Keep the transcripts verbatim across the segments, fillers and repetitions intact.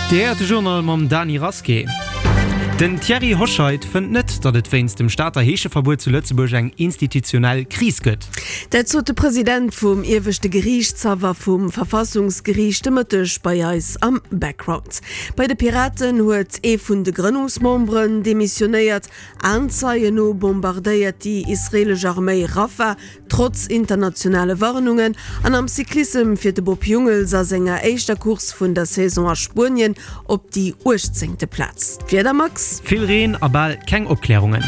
Dir héiert de Journal mam Dany Rasqué. Den Thierry Hoscheit fënnt net, datt et wéinst dem Stater Heescheverbuet zu Lëtzebuerg eng institutionell Kris gëtt. Dat sot de President vum Ieweschte Geriichtshaff a vum Verfassungsgeriicht de Mëtteg bei eis am Background. Bei de Piraten huet ee vun de Grënnungsmemberen demissionéiert. Aenzeien no bombardéiert déi israeelesch Arméi Rafah trotz internationale Warnungen. An am Cyclissem fiert de Bob Jungels a senger éischter Course vun der Saison a Spuenien op déi uechtzéngte Plaz. D'Wieder, Max? Vill Reen a bal keng Opklärungen.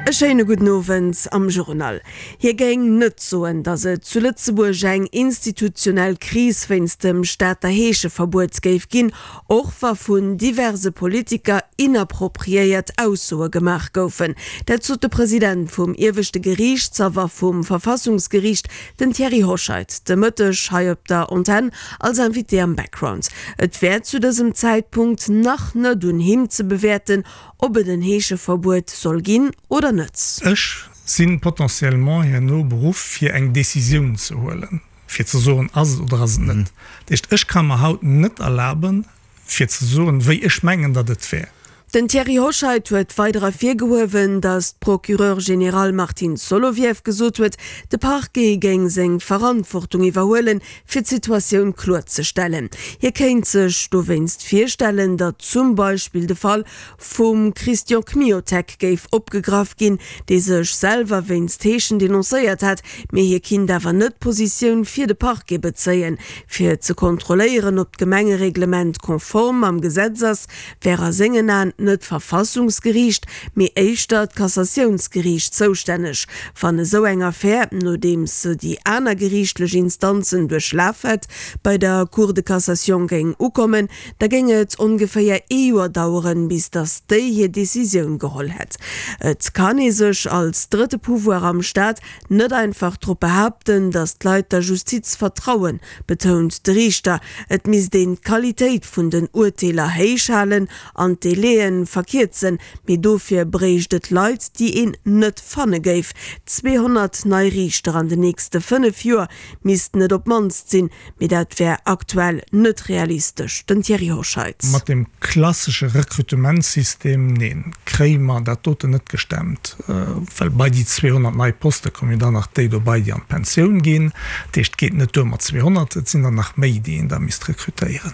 E schéine gudden Owend am Journal. Hie géing net soen, datt et zu Lëtzebuerg eng institutionell Kris wéinst dem Stater Heescheverbuet géif ginn, och wa vun diverse Politiker inappropriéiert Aussoe gemaach goufen. Dat sot de President vum Ieweschte Geriichtshaff a vum Verfassungsgeriicht, den Thierry Hoscheit, de Mëtteg hei op der Antenn als Invité am Background. Et wär zu dësem Zäitpunkt nach net un him ze bewäerten, ob et en Heescheverbuet soll ginn oder net. Ech si potentiellement herno beruff, fir eng Décisioun ze huelen, fir ze soen, ass et oder ass et net. Dat heescht, ech ka mer haut net erlaben, fir ze soen, wéi ech mengen, datt et wär. Den Thierry Hoscheit huet weider ervirgehuewen, datt d'Procureure générale Martine Solovieff gesot huet, de Parquet géing seng Verantwortung iwwerhuelen, fir d'Situatioun kloerzestellen. Hie kéint sech dowéinst virstellen, datt zum Beispill de Fall vum Christian Kmiotek géif opgegraff ginn, dee sech selwer wéinst Heeschen denoncéiert hat, mee hie kinnt awer net Positioun fir de Parquet bezéien. Fir ze kontrolléieren, ob d'Gemengereglement konform mam Gesetz ass, wär a sengen Aen net d'Verfassungsgeriicht, mee éischter d'Kassatiounsgeriicht zoustänneg. Wann esou eng Affär, nodeems se déi aner geriichtlech Instanzen duerchlaf hätt, bei der Cour de cassation géing ukommen, da géing et ongeféier ee Joer daueren, bis datt déi hir Decisioun geholl hätt. Et kann ee sech als drëtte Pouvoir am Staat net einfach drop behaapten, datt d'Leit der Justiz vertrauen, betount de Riichter. Et misst een d'Qualitéit vun den Urteeler héich halen an d'Délaië verkierzen, mee dofir bréicht et Leit, déi een net fanne géif. zweehonnert nei Riichter an den nächste fënnef Joer missten et op d'mannst sinn, mee dat wär aktuell net realistesch. Den Thierry Hoscheit. Mat deem klassesche Rekrutementssystem, neen, kréie mer dat doten net gestemmt, well bei déi zweehonnert nei Poste kommen jo dann nach déi dobei, déi an d'Pensioun ginn. Dat heescht, et geet net duer mat zweehonnert, et sinn der nach méi, déi een da misst rekrutéieren.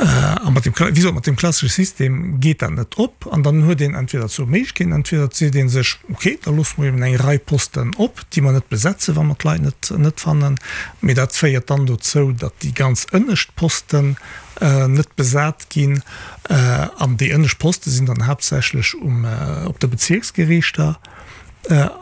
A mat deem, wéi gesot, mat deem klassesche System geet dat net op. An dann huet een entweder zwou Méiglechkeeten, Entweder et seet ee sech, okay, da loosse mer eben eng Rei Posten op, déi mer net besetzen, wa mer d'Leit net net fannen. Mee dat féiert dann dozou, datt déi ganz ënnescht Posten net besat ginn. An déi ënnescht Poste sinn dann haaptsächlech um op de Bezierksgeriichter.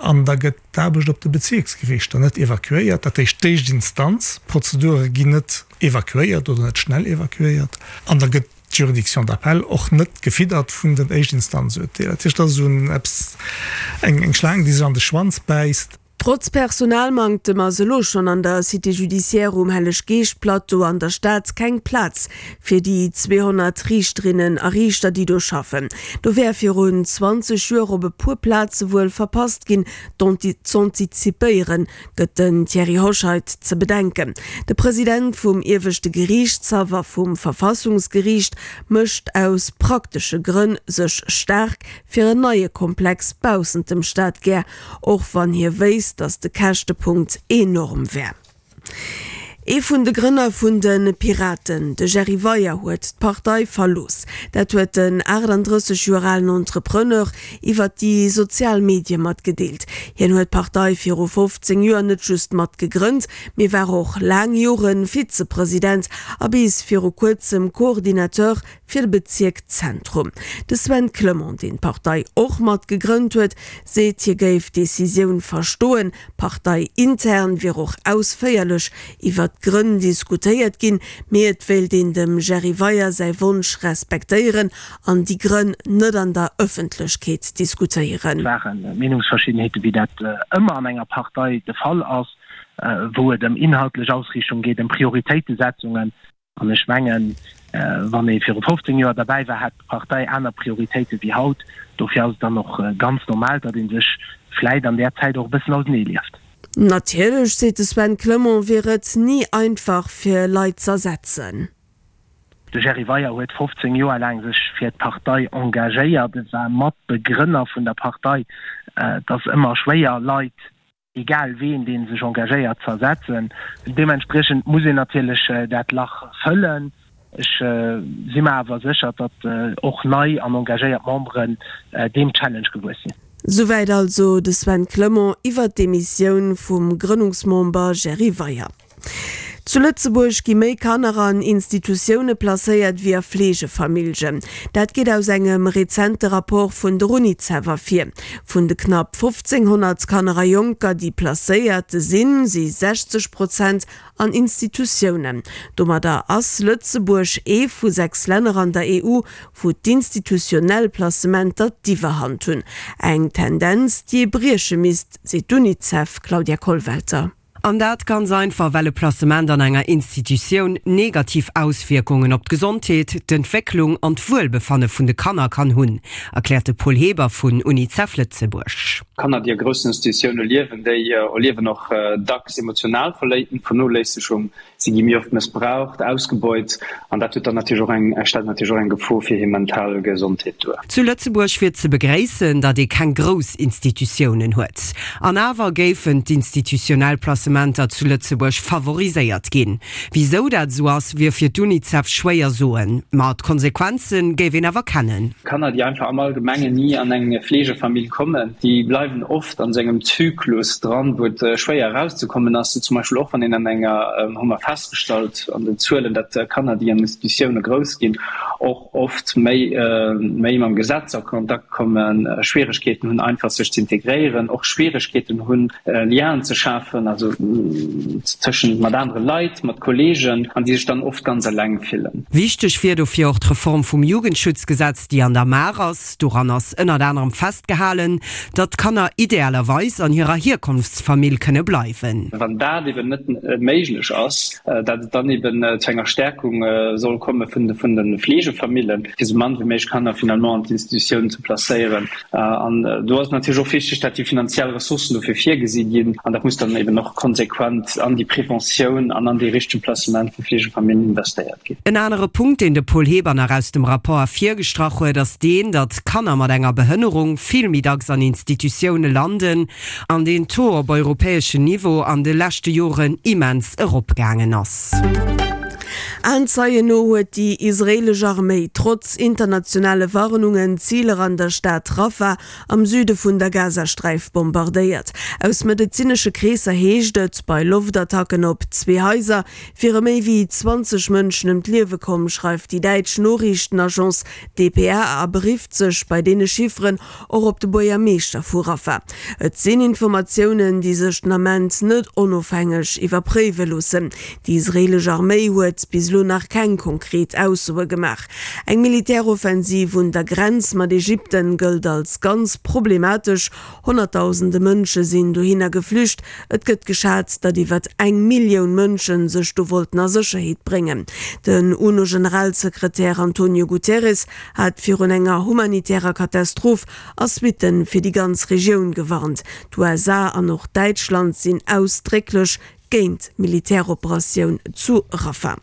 An da gëtt d'Aarbecht op de Bezierksgeriichter net evakuéiert. Dat heescht, d'éischt Instanz, d'Prozedure ginn net evakuéiert oder net schnell evakuéiert. An da gëtt d'Juridiction d'appel och net gefiddert vun den Éischtinstanzurteeler. Dat heescht, dat ass esou eppes, eng Schlaang, déi sech an de Schwanz bäisst. Trotz Personalmanktem ass elo schonn an der Cité judiciaire um Helleg-Geescht-Plateau an der Stad keng Plaz fir déi zweehonnert Riichterinnen a Riichter, déi do schaffen. Do wär virun zwanzeg Joer op e puer Plaze wuel verpasst ginn, z'antizipéieren, gëtt den Thierry Hoscheit ze bedenken. De President vum Ieweschte Geriichtshaff a vum Verfassungsgeriicht mécht aus praktesche Grënn sech staark fir en neie Komplex baussent dem Stadkär, och wann hie wéisst, datt de Käschtepunkt enorm wär. Ee vun de Grënner vun de Piraten, de Jerry Weyer, huet d'Partei verlooss. Dat huet den aachtanddrësseg Joer alen Entrepreneur iwwer déi sozial Medie matgedeelt. Hien huet d'Partei viru fofzéng Joer net just mat gegrënnt, mee war och laang Jore Vizepresident a bis viru kuerzem Coordinateur fir de Bezierk Zentrum. De Sven Clement, deen d'Partei och mat gegrënnt huet, seet, hie géif d'Decisioun verstoen. Parteiintern wier och ausféierlech iwwer d'Grënn diskutéiert ginn, mee et wéilt een dem Jerry Weyer säi Wonsch respektéieren an déi Grënn net an der Ëffentlechkeet diskutéieren. Et ware Meenungsverschiddenheeten, wéi dat ëmmer an enger Partei de Fall ass, wou et ëm inhaltlech Ausriichtung geet, ëm Prioritéitesetzungen. An ech mengen, wann ee viru fofzéng Joer derbäi war, hat d'Partei aner Prioritéite wéi haut. Dofir ass et dann och ganz normal, datt ee sech vläit an där Zäit och e bëssen auseneelieft. Natierlech, seet de Sven Clement, wier et ni einfach fir Leit z'ersetzen. De Jerry Weyer huet fofzéng Joer laang sech fir d'Partei engagéiert, e war Matbegrënner vun der Partei. Et ass ëmmer schwéier, Leit, egal ween, dee sech engagéiert, z'ersetzen. Deementspriechend muss een natierlech dat Lach fëllen. Ech si mer awer sécher, datt och nei an engagéiert Memberen deem Challenge gewuess sinn. Souwäit also de Sven Clement iwwer d'Demissioun vum Grënnungsmember Jerry Weyer. Zu Lëtzebuerg gi méi Kanner an Institutioune placéiert wéi a Fleegefamilljen. Dat geet aus engem rezente Rapport vun der Unicef ervir. Vun de knapp fofzénghonnert Kanner a Jonker, déi placéiert sinn, si sechzeg Prozent an Institutiounen. Domadder ass Lëtzebuerg ee vu sechs Länner an der E U, wou d'institutionell Placementer d'Iwwerhand hunn. Eng Tendenz, déi ee brieche misst, seet d'Unicef, Claudia Kollwelter. An dat ganz einfach, well e Placement an enger Institutioun negativ Auswierkungen op d'Gesondheet, d'Entwécklung an d'Wuelbefanne vun de Kanner kann hunn, erkläert de Paul Heber vun Unicef Lëtzebuerg. Kanner, déi a groussen Institutioune liewen, déi erliewen och dacks emotional Vernoléissegung. Si gi méi oft mëssbraucht, ausgebeut an dat huet dann natierlech och eng, stellt natierlech och eng Gefor fir hir mental Gesondheet duer. Zu Lëtzebuerg wier ze begréissen, datt ee keng grouss Institutiounen huet. An awer géifen d'institutionell Placementer zu Lëtzebuerg favoriséiert ginn. Wisou dat esou ass, wier fir d'Unicef schwéier soen, ma d'Konsequenze géif een awer kennen. Kanner, déi einfach am Allgemengen ni an eng Fleegefamill kommen, déi bleiwen oft an esou engem Zyklus dran, wou et schwéier erauszekommen ass. Zum Beispill och wann een an enger, hu mer festgestallt an den Zuelen, datt Kanner, déi an Institutioune grouss ginn, och oft méi méi mam Gesetz a Kontakt kommen, Schwieregkeeten hunn einfach sech ze integréieren, och Schwieregkeeten hunn Lienen ze schafen, also tëschent mat anere Leit, mat Kolleegen, an déi sech dann oft ganz eleng fillen. Wichteg wier dofir och d'Reform vum Jugendschutzgesetz, déi an der Maach ass. Doran ass ënnert anerem festgehalen, datt d'Kanner idealerweis an hirer Hierkonftsfamill kënne bleiwen. Wann dat eben net méiglech ass, datt et dann eben zu enger Stärkung soll komme vun de Fleegefamillen, fir esou mann wéi méiglech Kanner finalement an d'Institutiounen ze placéieren. An do ass et natierlech och wichteg, datt déi finanziell Ressourcen dofir virgesi ginn. An dat muss dann eben och konsequent an déi Preventioun an an dee richtege Placement vu Fleegefamillen investéiert ginn. En anere Punkt, deen de Paul Heber nach aus dem Rapport ervirgestrach huet, ass deen, datt Kanner mat enger Behënnerung vill méi dacks an Institutioune landen an deen Taux op europäeschem Niveau an de leschte Joren immens eropgaangen ass. Aenzeien no huet déi israeelesch Arméi trotz internationale Warnungen Ziler an der Stad Rafah am Süde vun der Gazasträif bombardéiert. Aus medezinesche Kreesser heescht et, bei Loftattacken op zwee Haiser wiere méi wéi zwanzeg Mënschen ëm d'Liewe komm, schreift déi däitsch Noriichtenagence D P A a berifft sech bei deene Chifferen och op de Buergermeeschter vu Rafah. Et sinn Informatiounen, déi sech den Ament net onofhängeg iwwerpréiwe loossen. Déi israeelesch Arméi huet bis elo nach keng konkret Aussoe gemaach. Eng Militäroffensiv un der Grenz mat Ägypten gëllt als ganz problematesch. Honnertdausende Mënsche sinn dohinner geflücht. Et gëtt geschat, datt iwwer eng Millioun Mënsche sech do wollten a Sécherheet bréngen. Den UNO-Generalsekretär Antonio Guterres hat virun enger humanitärer Katastroph a Suitte fir déi ganz Regioun gewarnt. D'U S A an och Däitschland sinn ausdrécklech géint d'Militäroperatioun zu Rafah.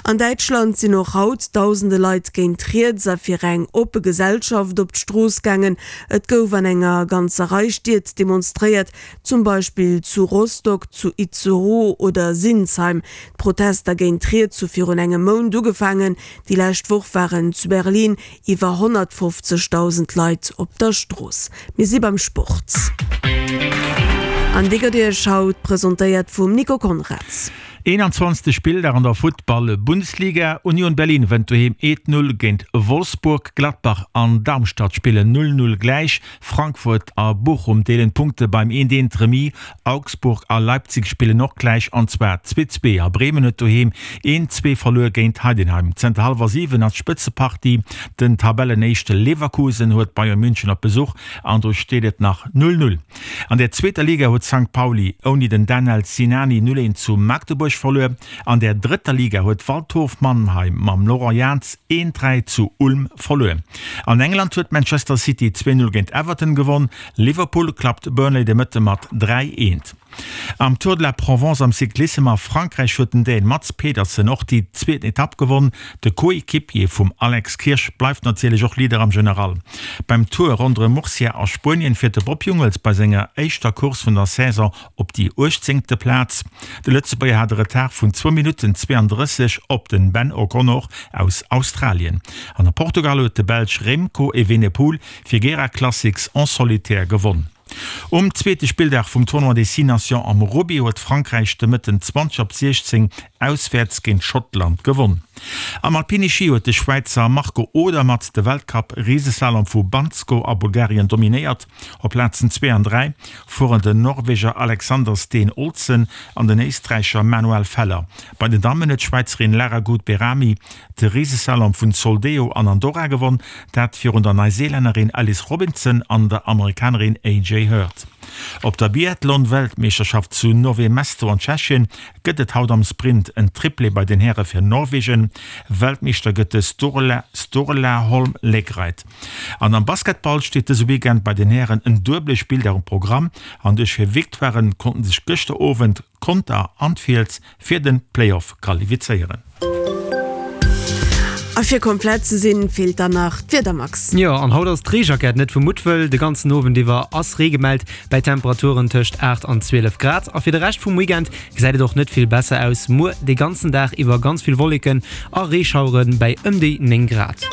An Däitschland sinn och haut dausende Leit géint riets a fir eng oppe Gesellschaft op d'Strooss gaangen. Et gouf an enger ganzer Rei Stied demonstréiert, zum Beispill zu Rostock, zu Itzehoe oder Sinsheim. D'Protester géint riets hu virun engem Mount ugefaangen. Déi lescht Woch waren zu Berlin iwwer honnertfofzegdausend Leit op der Strooss. Mir si beim Sport. An dee gëtt Iech haut presentéiert vum Nico Conrads. Eenanzwanzegste Spilldag an der Futtball-Bundesliga, Union Berlin wënnt doheem eent Null géint Wolfsburg, Gladbach an Darmstadt spillen null Null gläich, Frankfurt a Bochum deelen d'Punkte beim eent eent Remis, Augsburg a Leipzig spillen och gläich an zwar zwee zwee a Bremen huet doheem eent zwee verluer géint Heidenheim. Zënter hallwer siwen ass d'Spëtzepartie, den Tabellenéischte Leverkusen huet Bayern München op Besuch an do steet et nach null Null. An der zweeter Liga huet Sankt Pauli ouni den Danel Sinani null eent zu Magdeburg verluer. An der drëtter Liga huet Waldhof Mannheim mam Laurent Jans een dräi zu Ulm verluer. An England huet Manchester City zwee null géint Everton gewonn. Liverpool klappt Burnley de Mëtte mat dräi eent. Am Tour de la Provence am Cyclissem a Frankräich huet den Dän Mads Pedersen och déi zweeten Etapp gewonn. De Coéquipier vum Alex Kirsch bleift natierlech och Leader am General. Beim Tour ronderëm Murcia a Spuenien fiert de Bob Jungels bei senger éischter Course vun der Saison op déi uechtzéngte Plaz. De Lëtzebuerger hat e Retard vun zwou Minutten zweeandrësseg op den Ben O'Connor aus Australien. An a Portugal huet de Belsch Remco Evenepoel Figueira Classics en solitaire gewonn. Um zweete Spilldag vum Tournoi des Six Nations am Rugby huet Frankräich de Mëtten zwanzeg op siechzéng auswäerts géint Schottland gewonn. Am Alpine Schi huet de Schwäizer Marco Odermatt de Weltcup-Riseslalom vu Bansko a Bulgarien dominéiert. Op Plazen zwee an dräi fueren den Norweger Alexander Steen Olsen an den Éisträicher Manuel Feller. Bei den Dammen huet d'Schwäizerin Lara Gut-Behrami de Riseslalom vun Soldeu an Andorra gewonn, dat virun der Neuseelännerin Alice Robinson an der Amerikanerin A J Hurt. Op der Biathlon-Weltmeeschterschaft zu Nové Mesto an Tschechien gëtt et haut am Sprint en Triplé bei den Häre fir Norwegen. Weltmeeschter gëtt de Sturla Sturla Holm Lægreid. An am Basketball steet dëse Weekend bei den Hären en duebele Spilldag um Programm an duerch hir Victoiren konnten sech gëschter Owend Conter an d'Fiels fir de Playoff qualifizéieren. A fir komplett ze sinn, feelt dann nach d'Wieder, Max. Jo, an haut ass d'Reejackett net vu Muttwëll. De ganzen Owend iwwer ass Ree gemellt, bäi Temperaturen tëscht aacht an zwielef Grad. A fir de Rescht vum Weekend gesäit et och net vill besser aus, muer de ganzen Dag iwwer ganz vill Wolleken a Reeschauere bäi ëm déi néng Grad.